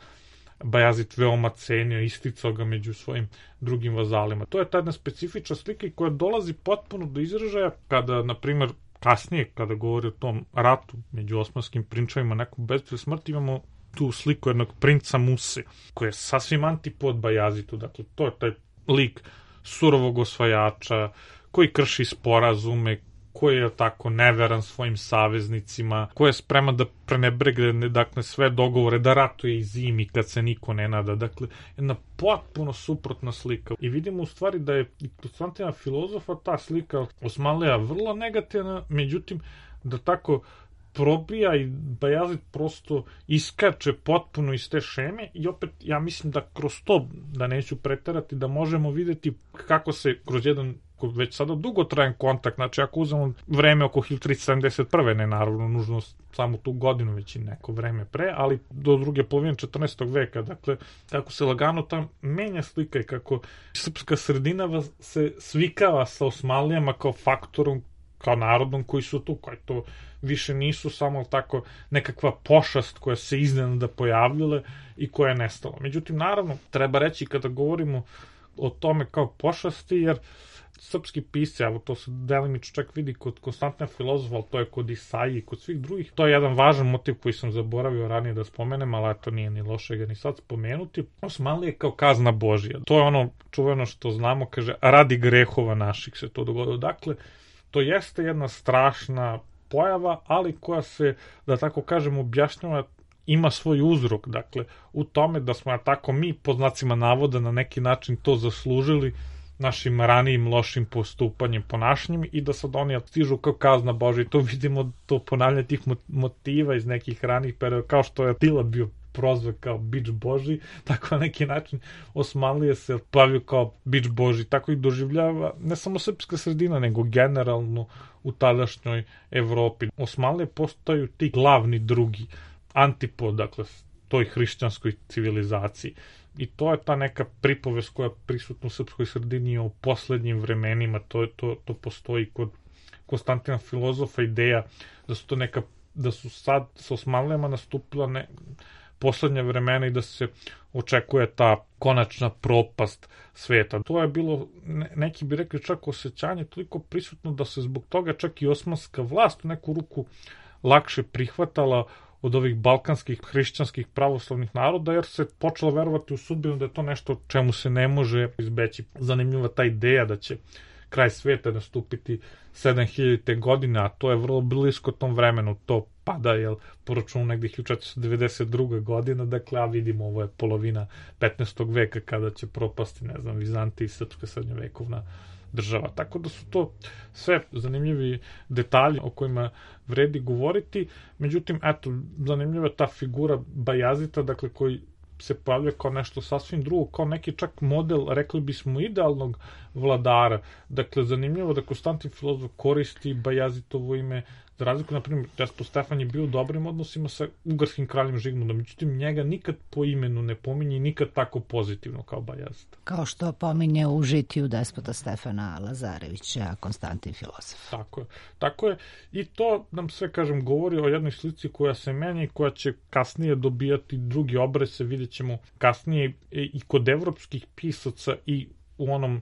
Bajazid veoma cenio, isticao ga među svojim drugim vazalima. To je ta jedna specifična slika koja dolazi potpuno do izražaja kada, na primjer, kasnije, kada govori o tom ratu među osmanskim prinčevima, nekom bez smrti, imamo tu sliku jednog princa Muse, koji je sasvim antipod Bajazitu. Dakle, to je taj lik surovog osvajača, koji krši sporazume, koji je tako neveran svojim saveznicima, koji je spreman da prenebregne, dakle, sve dogovore, da ratuje i zimi kad se niko ne nada. Dakle, jedna potpuno suprotna slika. I vidimo u stvari da je i Konstantina Filozofa ta slika Osmanlija vrlo negativna, međutim, da tako probija i Bajazid prosto iskače potpuno iz te šeme i opet ja mislim da kroz to, da neću preterati, da možemo videti kako se kroz jedan već sada dugotrajan kontakt, znači ako uzmemo vreme oko hiljadu tristo sedamdeset prve, ne naravno nužno samo tu godinu, već i neko vreme pre, ali do druge polovine četrnaestog veka, dakle, kako se lagano tam menja slika i kako srpska sredina se svikava sa Osmanlijama kao faktorom, kao narodom koji su tu, koji to više nisu samo tako nekakva pošast koja se iznenada pojavljala i koja je nestala. Međutim, naravno, treba reći kada govorimo o tome kao pošasti, jer srpski pisci, evo to se delimično čak vidi kod Konstantina Filozofa, ali to je kod Isaije i kod svih drugih. To je jedan važan motiv koji sam zaboravio ranije da spomenem, ali to nije ni loše ga ni sad spomenuti. Osmanlija je kao kazna Božija. To je ono čuveno što znamo, kaže, radi grehova naših se to dogodilo. Dakle, to jeste jedna strašna pojava, ali koja se, da tako kažem, objašnjava, ima svoj uzrok, dakle, u tome da smo tako mi, po znacima navoda, na neki način to zaslužili našim ranijim lošim postupanjem, ponašanjem i da sad oni stižu kao kazna Božja. I to vidimo, to ponavljanje tih motiva iz nekih ranijih perioda, kao što je Atila bio prozvan kao bič Božji, tako na neki način Osmanlija se pojavio kao bič Božji, tako i doživljava ne samo srpska sredina, nego generalno u tadašnjoj Evropi. Osmanlije postaju ti glavni drugi antipod, dakle, toj hrišćanskoj civilizaciji. I to je ta neka pripovest koja je prisutna u srpskoj sredini o poslednjim vremenima, to, to, to postoji kod Konstantina Filozofa ideja da su to neka, da su sad sa Osmanlijama nastupila ne, poslednja vremena i da se očekuje ta konačna propast sveta. To je bilo, ne, neki bi rekli čak osjećanje toliko prisutno da se zbog toga čak i osmanska vlast u neku ruku lakše prihvatala od ovih balkanskih hrišćanskih pravoslavnih naroda, jer se počelo verovati u sudbinu da je to nešto čemu se ne može izbeći. Zanimljiva ta ideja da će kraj sveta nastupiti sedam hiljadite godine, a to je vrlo blisko tom vremenu, to pada, jel, po računu negdje hiljadu četiristo devedeset druga godina, dakle, a vidimo, ovo je polovina petnaestog veka kada će propasti, ne znam, Vizantija i srpska srednjovekovna država. Tako da su to sve zanimljivi detalji o kojima vredi govoriti. Međutim, eto, zanimljiva ta figura Bajazita, dakle, koji se pojavlja kao nešto sasvim drugo, kao neki čak model, rekli bismo, idealnog vladara. Dakle, zanimljivo da Konstantin Filozof koristi Bajazitovo ime, za razliku, na primjer, Despot Stefan je bio u dobrim odnosima sa ugarskim kraljem Žigmundom, međutim, njega nikad po imenu ne pominje i nikad tako pozitivno kao Bajazit. Kao što pominje u žitiju Despota Stefana Lazarevića Konstantin Filozof. Tako je. Tako je. I to nam sve, kažem, govori o jednoj slici koja se menja i koja će kasnije dobijati drugi obraz, vidjet ćemo kasnije i kod evropskih pisaca i u onom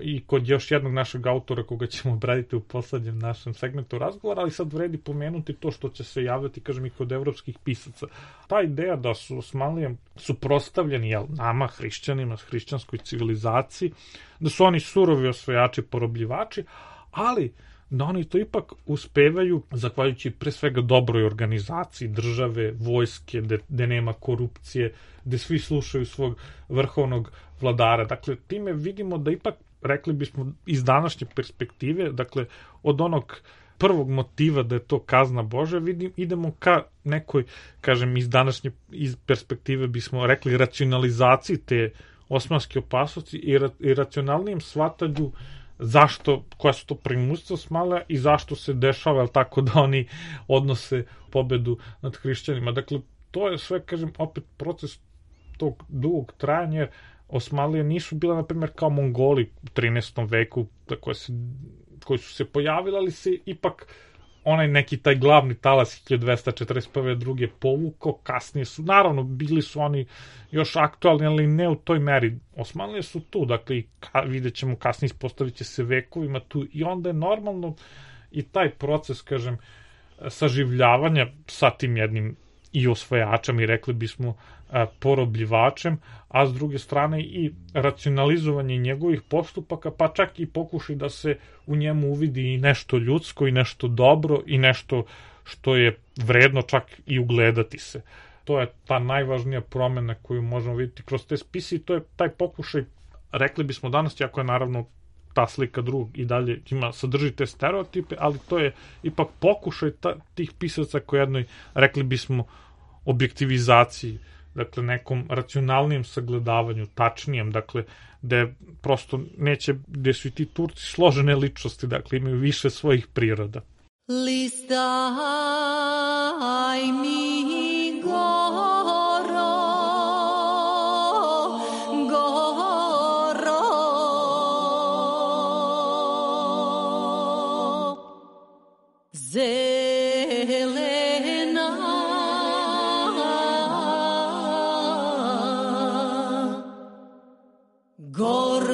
i kod još jednog našeg autora koga ćemo obraditi u poslednjem našem segmentu razgovora, ali sad vredi pomenuti to što će se javljati, kažem, i kod evropskih pisaca. Ta ideja da su Osmanlije suprotstavljeni, jel, nama, hrišćanima, hrišćanskoj civilizaciji, da su oni surovi osvajači, porobljivači, ali da oni to ipak uspevaju, zahvaljujući pre svega dobroj organizaciji države, vojske, gde nema korupcije, gde svi slušaju svog vrhovnog vladara. Dakle, time vidimo da ipak, rekli bismo iz današnje perspektive, dakle od onog prvog motiva da je to kazna Božja, vidim, idemo ka nekoj, kažem, iz današnje iz perspektive bismo rekli racionalizaciji te osmanske opasnosti i, ra, i racionalnijem shvatanju zašto, koja su to primućstva Osmanlija i zašto se dešava, jel tako, da oni odnose pobedu nad hrišćanima. Dakle, to je sve, kažem, opet proces tog dugog trajanja, jer Osmanlije nisu bila, na primjer, kao Mongoli u trinaestom veku, koje se, koji su se pojavili, ali se ipak onaj neki taj glavni talas hiljadu dvesta četrdeset prve druge povukao, kasnije su, naravno, bili su oni još aktualni, ali ne u toj meri. Osmanlije su tu, dakle, ka, vidjet ćemo kasnije, ispostavit će se vekovima tu i onda je normalno i taj proces, kažem, saživljavanja sa tim jednim i osvajačem i rekli bismo porobljivačem, a s druge strane i racionalizovanje njegovih postupaka, pa čak i pokušaj da se u njemu uvidi i nešto ljudsko i nešto dobro i nešto što je vredno čak i ugledati se. To je ta najvažnija promena koju možemo vidjeti kroz te spise i to je taj pokušaj, rekli bismo danas, jako je naravno ta slika drugog i dalje ima, sadrži te stereotipe, ali to je ipak pokušaj ta, tih pisaca koji jednoj, rekli bismo, objektivizaciji, dakle nekom racionalnijem sagledavanju, tačnijem, dakle, gde prosto neće, gde su i ti Turci složene ličnosti, dakle imaju više svojih priroda. Listaj mi goro, goro, zelena, goro.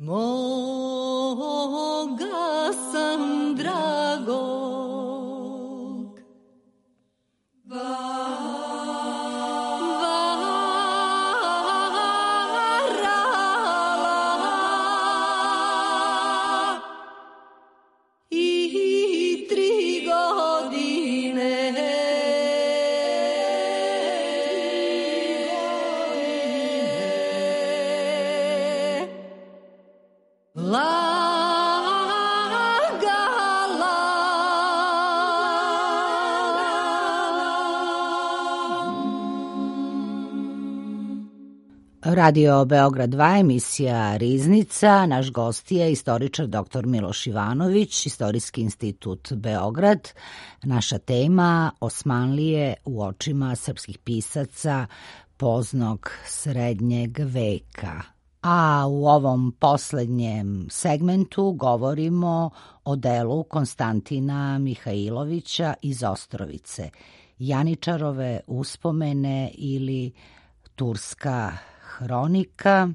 moga sam dragog varala i tri godine Radio Beograd dva, emisija Riznica. Naš gost je istoričar doktor Miloš Ivanović, Istorijski institut Beograd. Naša tema Osmanlije u očima srpskih pisaca poznog srednjeg veka. A u ovom poslednjem segmentu govorimo o delu Konstantina Mihajlovića iz Ostrovice, Janičarove uspomene ili Turska hronika.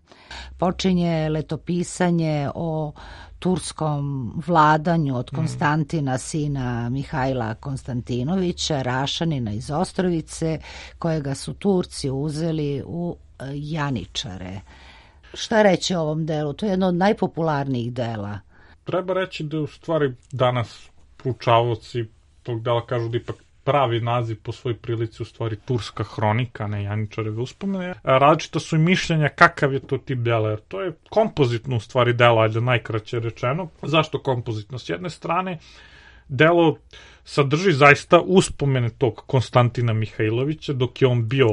Počinje letopisanje o turskom vladanju od Konstantina, sina Mihajla Konstantinovića, Rašanina iz Ostrovice, kojega su Turci uzeli u Janičare. Šta reći o ovom delu? To je jedno od najpopularnijih dela. Treba reći da u stvari danas proučavaoci tog dela kažu da ipak pravi naziv po svoj prilici u stvari Turska hronika, ne Janičareve uspomene. Različita su i mišljenja kakav je to tip dela, jer to je kompozitno u stvari delo, ajde najkraće rečeno. Zašto kompozitno? S jedne strane, delo sadrži zaista uspomene tog Konstantina Mihajlovića dok je on bio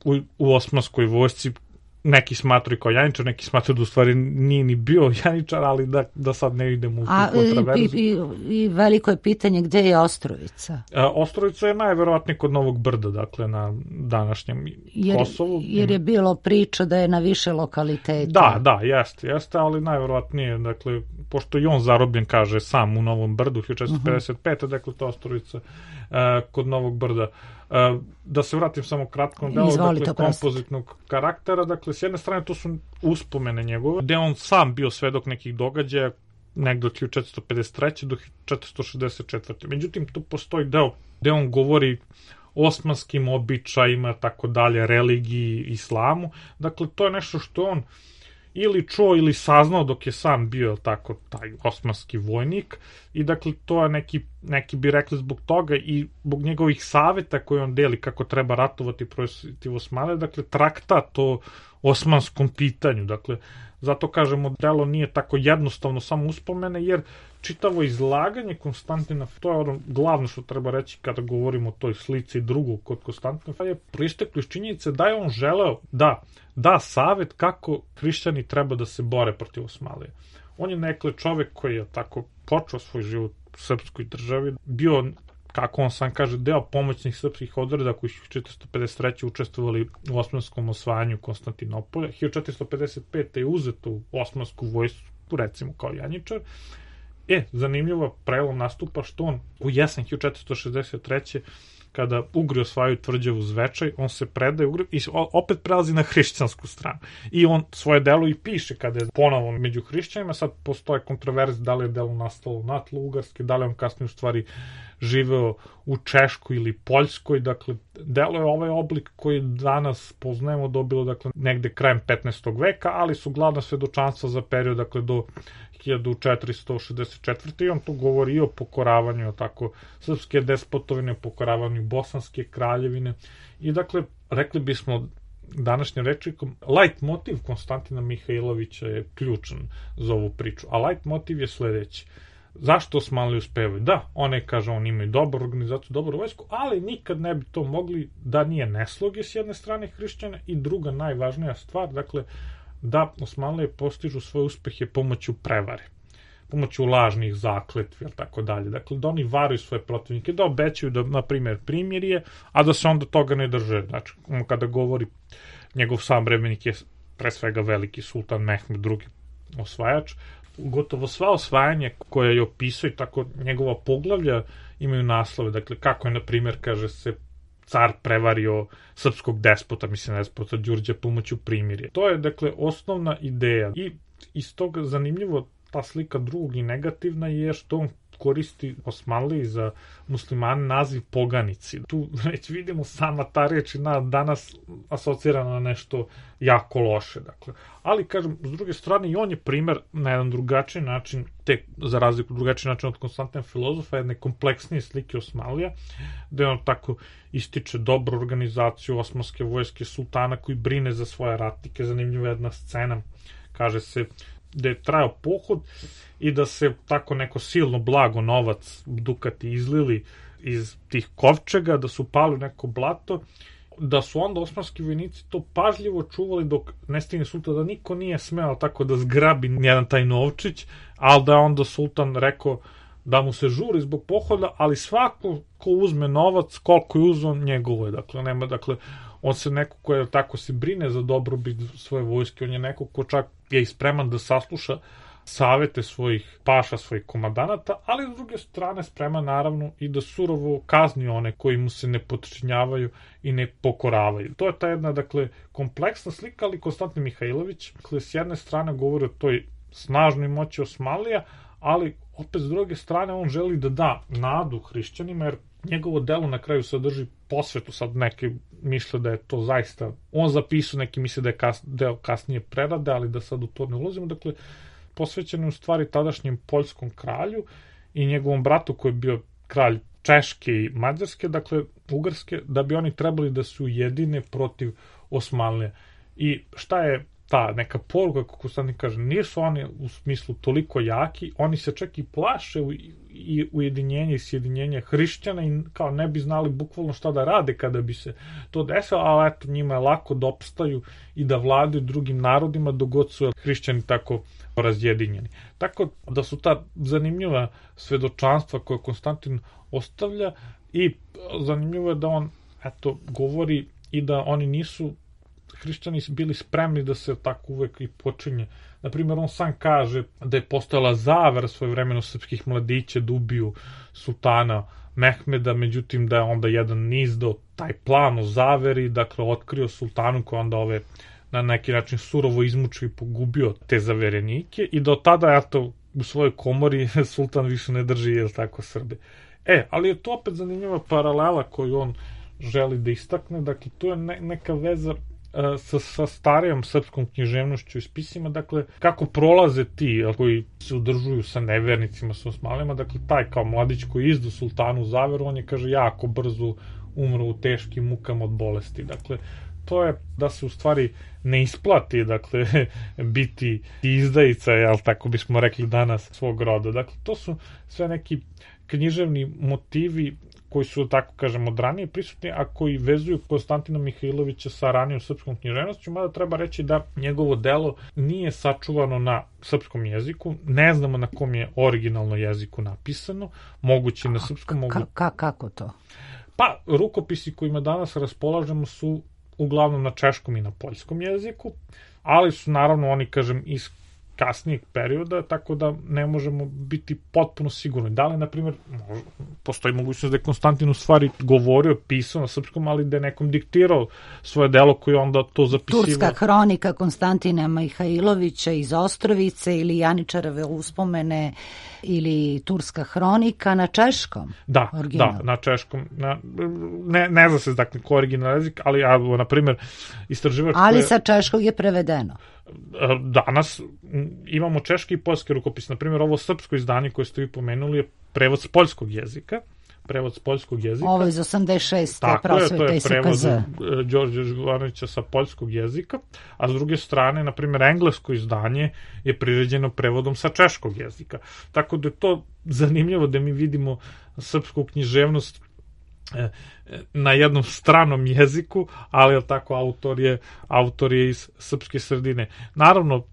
u, u osmanskoj vojsci. Neki smatruju kao Janičar, neki smatruju da u stvari nije ni bio Janičar, ali da, da sad ne idemo u kontraverzu. I, i, I veliko je pitanje gde je Ostrovica? A, Ostrovica je najverovatnije kod Novog Brda, dakle na današnjem jer, Kosovu. Jer je bilo priča da je na više lokaliteta. Da, da, jeste, jeste, ali najverovatnije, dakle, pošto i on zarobljen, kaže, sam u Novom Brdu, hiljadu četiristo pedeset pete. Uh-huh. Dakle, to Ostrovica a, kod Novog Brda. A, da se vratim samo kratko na delo, dakle, kompozitnog karaktera, dakle, s jedne strane to su uspomene njegove, gde on sam bio svedok nekih događaja, negde od hiljadu četiristo pedeset treće do hiljadu četiristo šezdeset četvrte. Međutim, tu postoji deo gde on govori o osmanskim običajima, tako dalje, religiji, islamu. Dakle, to je nešto što on ili čuo ili saznao dok je sam bio tako taj osmanski vojnik i dakle to je neki, neki bi rekli zbog toga i zbog njegovih saveta koje on deli kako treba ratovati protiv Osmane, dakle traktat o osmanskom pitanju, dakle zato kažemo delo nije tako jednostavno samo uspomene jer čitavo izlaganje Konstantina, to je ono glavno što treba reći kada govorimo o toj slici drugog kod Konstantina, je proisteklo iz činjenice da je on želeo da da savet kako hrišćani treba da se bore protiv Osmanlije. On je nekle čovek koji je tako počeo svoj život u srpskoj državi, bio, kako on sam kaže, deo pomoćnih srpskih odreda koji su četiristo pedeset treće učestvovali u osmanskom osvajanju Konstantinopolja. hiljadu četiristo pedeset pete je uzeto u osmansku vojsku, recimo kao Janičar. E, zanimljivo prelom nastupa što on u jesen hiljadu četiristo šezdeset treće kada Ugri osvajaju tvrđavu Zvečaj, on se predaje Ugri i opet prelazi na hrišćansku stranu. I on svoje delo i piše kada je ponovo među hrišćanima, sad postoje kontroverze da li je delo nastalo na tlu Ugarske, da li on kasnije u stvari živeo u Češkoj ili Poljskoj, dakle, delo je ovaj oblik koji danas poznajemo dobilo, dakle, negde krajem petnaestog veka, ali su glavna svedočanstva za period, dakle, do hiljadu četiristo šezdeset četvrte. i on tu govori o pokoravanju, tako, srpske despotovine, pokoravanju bosanske kraljevine i, dakle, rekli bismo današnjim rečnikom, light motiv Konstantina Mihajlovića je ključan za ovu priču, a light motiv je sledeći. Zašto Osmanli uspevaju? Da, one, kaže, on imaju dobru organizaciju, dobru vojsku, ali nikad ne bi to mogli da nije nesloge s jedne strane hrišćana i druga najvažnija stvar, dakle, da Osmanlije postižu svoje uspehe pomoću prevare, pomoću lažnih zakletvi, tako dalje. Dakle, da oni varaju svoje protivnike, da obećaju da, na primjer, primirje, a da se onda toga ne drže. Znači, on kada govori, njegov sam vremenik je pre svega veliki sultan Mehmed drugi osvajač, gotovo sva osvajanja koje je opisao i tako njegova poglavlja imaju naslove. Dakle, kako je, na primjer, kaže se, car prevario srpskog despota, mislim despota Đurđa pomoću primirja. To je, dakle, osnovna ideja. I iz toga zanimljivo ta slika drugog i negativna je što on koristi Osmanliji za muslimane naziv poganici. Tu već vidimo sama ta reč na danas asocirana na nešto jako loše. Dakle. Ali, kažem, s druge strane, i on je primer na jedan drugačiji način, tek za razliku drugačiji način od Konstantina Filozofa, jedne kompleksnije slike Osmanlija, gde on tako ističe dobru organizaciju osmanske vojske, sultana koji brine za svoje ratnike. Zanimljiva jedna scena, kaže se, da je trajao pohod i da se tako neko silno blago novac dukati izlili iz tih kovčega, da su pali u neko blato, da su onda osmanski vojnici to pažljivo čuvali dok ne stigne sultan, da niko nije smeo tako da zgrabi nijedan taj novčić, ali da je onda sultan rekao da mu se žuri zbog pohoda, ali svako ko uzme novac, koliko je uzon, njegovo je. Dakle, nema, dakle, on se neko ko je tako se brine za dobrobit svoje vojske, on je neko ko čak je i spreman da sasluša savete svojih paša, svojih komandanata, ali s druge strane spreman naravno i da surovo kazni one koji mu se ne potčinjavaju i ne pokoravaju. To je ta jedna, dakle, kompleksna slika, ali Konstantin Mihajlović, dakle, s jedne strane govori o toj snažnoj moći Osmanlija, ali opet s druge strane on želi da da nadu hrišćanima, jer njegovo delo na kraju sadrži posvetu, sad neki misle da je to zaista, on zapisao, neki misle da je kas, deo kasnije prerade, ali da sad u to ne ulazimo, dakle, posvećen je u stvari tadašnjem poljskom kralju i njegovom bratu koji je bio kralj Češke i Mađarske, dakle, Ugarske, da bi oni trebali da se ujedine protiv Osmanlija. I šta je ta neka poruka, kako Konstantin kaže, nisu oni u smislu toliko jaki, oni se čak i plaše u, i ujedinjenje i sjedinjenje hrišćana i kao ne bi znali bukvalno šta da rade kada bi se to desilo, ali eto njima je lako da opstaju i da vladaju drugim narodima dok god su hrišćani tako razjedinjeni. Tako da su ta zanimljiva svedočanstva koje Konstantin ostavlja i zanimljivo je da on eto govori i da oni nisu hrišćani bili spremni da se tako uvek i počinje. Naprimjer, on sam kaže da je postojala zavera svojevremeno srpskih mladića da ubiju sultana Mehmeda, međutim da je onda jedan niz do taj plan o zaveri, dakle, otkrio sultanu koji onda ove na neki način surovo izmučio i pogubio te zaverenike i do tada, eto, u svojoj komori sultan više ne drži, jel tako, Srbe. E, ali je to opet zanimljiva paralela koju on želi da istakne, dakle, tu je ne, neka veza Sa, sa starijom srpskom književnošću i spisima, dakle, kako prolaze ti koji se udržuju sa nevernicima, sa Osmanlijama, dakle, taj kao mladić koji izdu sultanu zaveru, on je, kaže, jako brzo umro u teškim mukama od bolesti. Dakle, to je da se u stvari ne isplati, dakle, biti izdajica, jel, tako bismo rekli danas, svog roda. Dakle, to su sve neki književni motivi koji su, tako kažem, od ranije prisutni, a koji vezuju Konstantina Mihajlovića sa ranijom srpskom književnošću, mada treba reći da njegovo delo nije sačuvano na srpskom jeziku, ne znamo na kom je originalno jeziku napisano, moguće na srpskom... Mogu... Ka, kako to? Pa, rukopisi kojima danas raspolažemo su uglavnom na češkom i na poljskom jeziku, ali su naravno oni, kažem, iz kasnijeg perioda, tako da ne možemo biti potpuno sigurni. Da li, na primjer, postoji mogućnost da je Konstantin u stvari govorio, pisao na srpskom, ali da je nekom diktirao svoje delo koje onda to zapisivao. Turska hronika Konstantina Mihajlovića iz Ostrovice ili Janičarove uspomene ili Turska hronika na češkom? Da, original. Da, na češkom. Na, ne, ne zna se dakle ko original jezik, ali ja, na primjer, istraživač... Ali sa češkog je prevedeno. Danas imamo češki i poljski rukopis. Na primjer, ovo srpsko izdanje koje ste vi pomenuli je prevod s poljskog jezika. Prevod s poljskog jezika. Ovo iz osamdeset šeste Tako je, to je prevod Đorđe Živanovića sa poljskog jezika, a s druge strane, na primjer, englesko izdanje je priređeno prevodom sa češkog jezika. Tako da je to zanimljivo da mi vidimo srpsku književnost na jednom stranom jeziku, ali tako autor je, autor je iz srpske sredine. Naravno,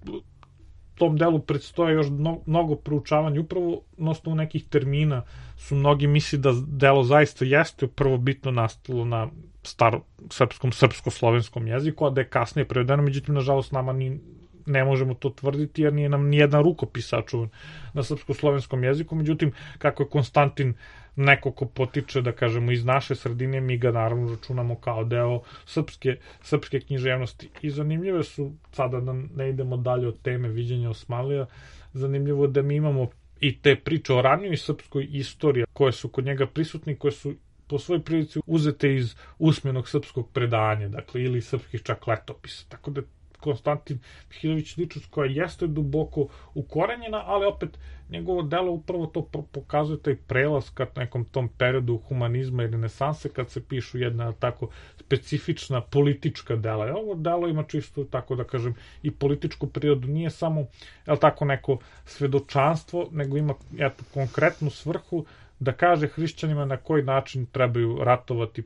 tom delu predstoje još mnogo proučavanja, upravo na osnovu nekih termina su mnogi misli da delo zaista jeste prvobitno nastalo na staro srpskom, srpsko-slovenskom jeziku, a da je kasnije prevedeno, međutim, nažalost, nama ni ne možemo to tvrditi jer nije nam nijedan rukopis sačuvan na srpsko-slovenskom jeziku, međutim, kako je Konstantin neko ko potiče, da kažemo, iz naše sredine, mi ga naravno računamo kao deo srpske, srpske književnosti. I zanimljive su, sada da ne idemo dalje od teme viđenja Osmanlija, zanimljivo da mi imamo i te priče o ranijoj srpskoj istoriji koje su kod njega prisutni, koje su po svojoj prilici uzete iz usmenog srpskog predanja, dakle, ili srpskih čak letopisa. Tako da Konstantin Mihajlović ličnost koja jeste duboko ukorenjena, ali opet njegovo delo upravo to pokazuje taj prelaz kad nekom tom periodu humanizma i renesanse, kad se pišu jedna tako specifična politička dela. I ovo delo ima čisto, tako da kažem, i političku prirodu, nije samo, je li tako, neko svedočanstvo, nego ima eto, konkretnu svrhu da kaže hrišćanima na koji način trebaju ratovati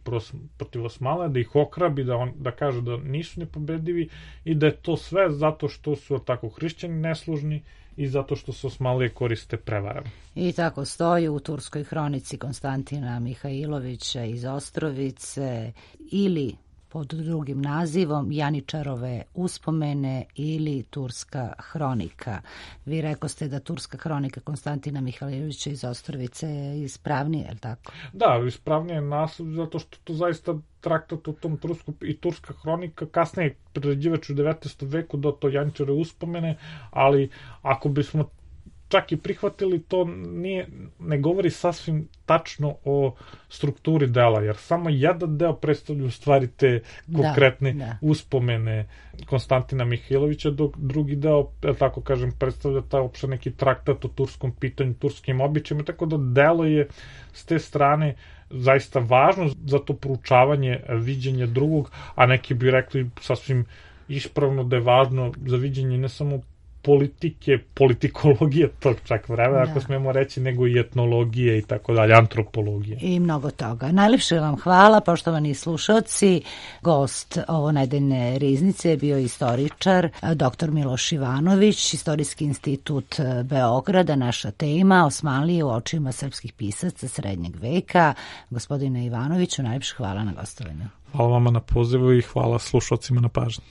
protiv Osmana, da ih okrabi, da, on, da kaže da nisu nepobedivi i da je to sve zato što su tako hrišćani neslužni i zato što se Osmanlije koriste prevarama. I tako stoji u turskoj hronici Konstantina Mihajlovića iz Ostrovice ili pod drugim nazivom Janičarove uspomene ili Turska hronika. Vi rekoste da Turska hronika Konstantina Mihajlovića iz Ostrovice je ispravnije, je li tako? Da, ispravnije je naslov zato što to zaista traktat u tom Tursku i Turska hronika, kasnije prerađivač u devetnaestom veku do to Janičarove uspomene, ali ako bismo čak i prihvatili, to nije, ne govori sasvim tačno o strukturi dela, jer samo jedan deo predstavlja u stvari te konkretne da, da. uspomene Konstantina Mihajlovića, dok drugi deo, tako kažem, predstavlja taj opšte neki traktat o turskom pitanju, turskim običajima, tako da delo je s te strane zaista važno za to proučavanje viđenja drugog, a neki bi rekli sasvim ispravno da je važno za viđenje ne samo politike, politikologije tog čak vremena, da. Ako smemo reći, nego i etnologije i tako dalje, antropologije. I mnogo toga. Najlepše vam hvala, poštovani slušalci. Gost ovo nedeljne riznice je bio istoričar, doktor Miloš Ivanović, Istorijski institut Beograda, naša tema, Osmanlije u očima srpskih pisaca srednjeg veka. Gospodine Ivanoviću, najlepše hvala na gostovanju. Hvala vama na pozivu i hvala slušalcima na pažnji.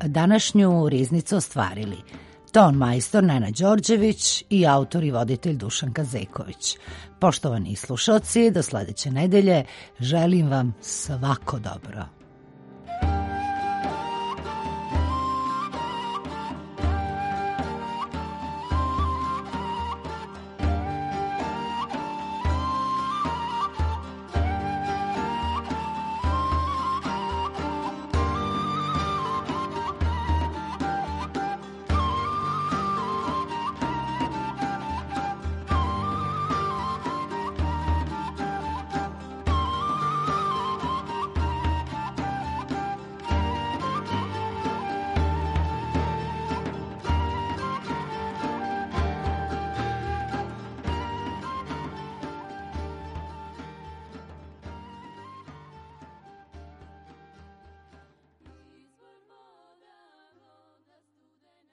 Današnju riznicu ostvarili ton majstor Nenad Đorđević i autor i voditelj Dušan Kazeković. Poštovani slušalci, do sledeće nedelje želim vam svako dobro.